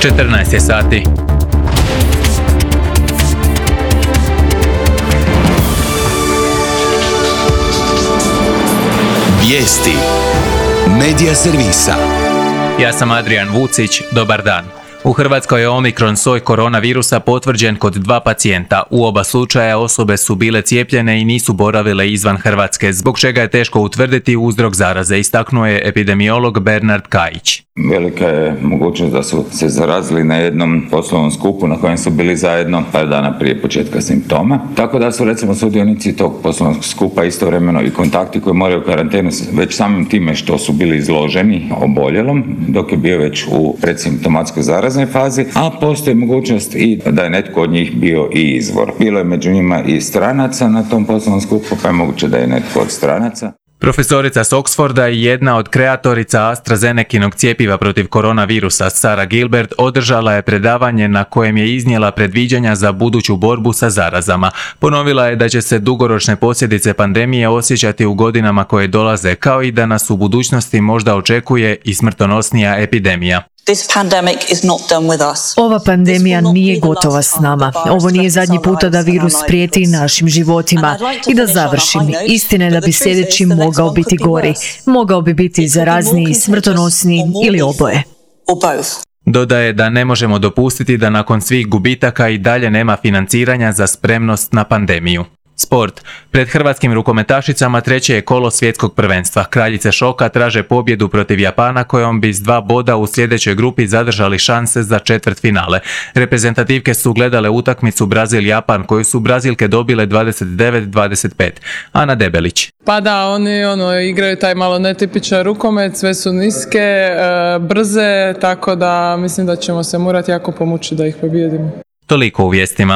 14 je sati. Vijesti Medija servisa. Ja sam Adrian Vucić, dobar dan. U Hrvatskoj je Omikron soj koronavirusa potvrđen kod 2 pacijenta. U oba slučaja osobe su bile cijepljene i nisu boravile izvan Hrvatske, zbog čega je teško utvrditi uzrok zaraze, istaknuo je epidemiolog Bernard Kajić. Velika je mogućnost da su se zarazili na jednom poslovnom skupu na kojem su bili zajedno par dana prije početka simptoma. Tako da su recimo sudionici tog poslovnog skupa istovremeno i kontakti koji moraju karantenu već samim time što su bili izloženi oboljelom dok je bio već u predsimptomatskoj zaraznoj fazi, a postoji mogućnost i da je netko od njih bio i izvor. Bilo je među njima i stranaca na tom poslovnom skupu, pa je moguće da je netko od stranaca. Profesorica s Oxforda i jedna od kreatorica AstraZenekinog cjepiva protiv koronavirusa, Sarah Gilbert, održala je predavanje na kojem je iznijela predviđanja za buduću borbu sa zarazama. Ponovila je da će se dugoročne posljedice pandemije osjećati u godinama koje dolaze, kao i da nas u budućnosti možda očekuje i smrtonosnija epidemija. Ova pandemija nije gotova s nama. Ovo nije zadnji puta da virus prijeti našim životima. I da završim, istina je da bi sljedeći mogao biti gori. Mogao bi biti zarazniji, smrtonosniji ili oboje. Dodaje da ne možemo dopustiti da nakon svih gubitaka i dalje nema financiranja za spremnost na pandemiju. Sport. Pred hrvatskim rukometašicama treće je kolo svjetskog prvenstva. Kraljice šoka traže pobjedu protiv Japana kojom bi s 2 boda u sljedećoj grupi zadržali šanse za četvrtfinale. Reprezentativke su gledale utakmicu Brazil-Japan koju su Brazilke dobile 29-25. Ana Debelić. Pa da, oni igraju taj malo netipičan rukomet, sve su niske, brze, tako da mislim da ćemo se morati jako pomučiti da ih pobijedimo. Toliko u vijestima.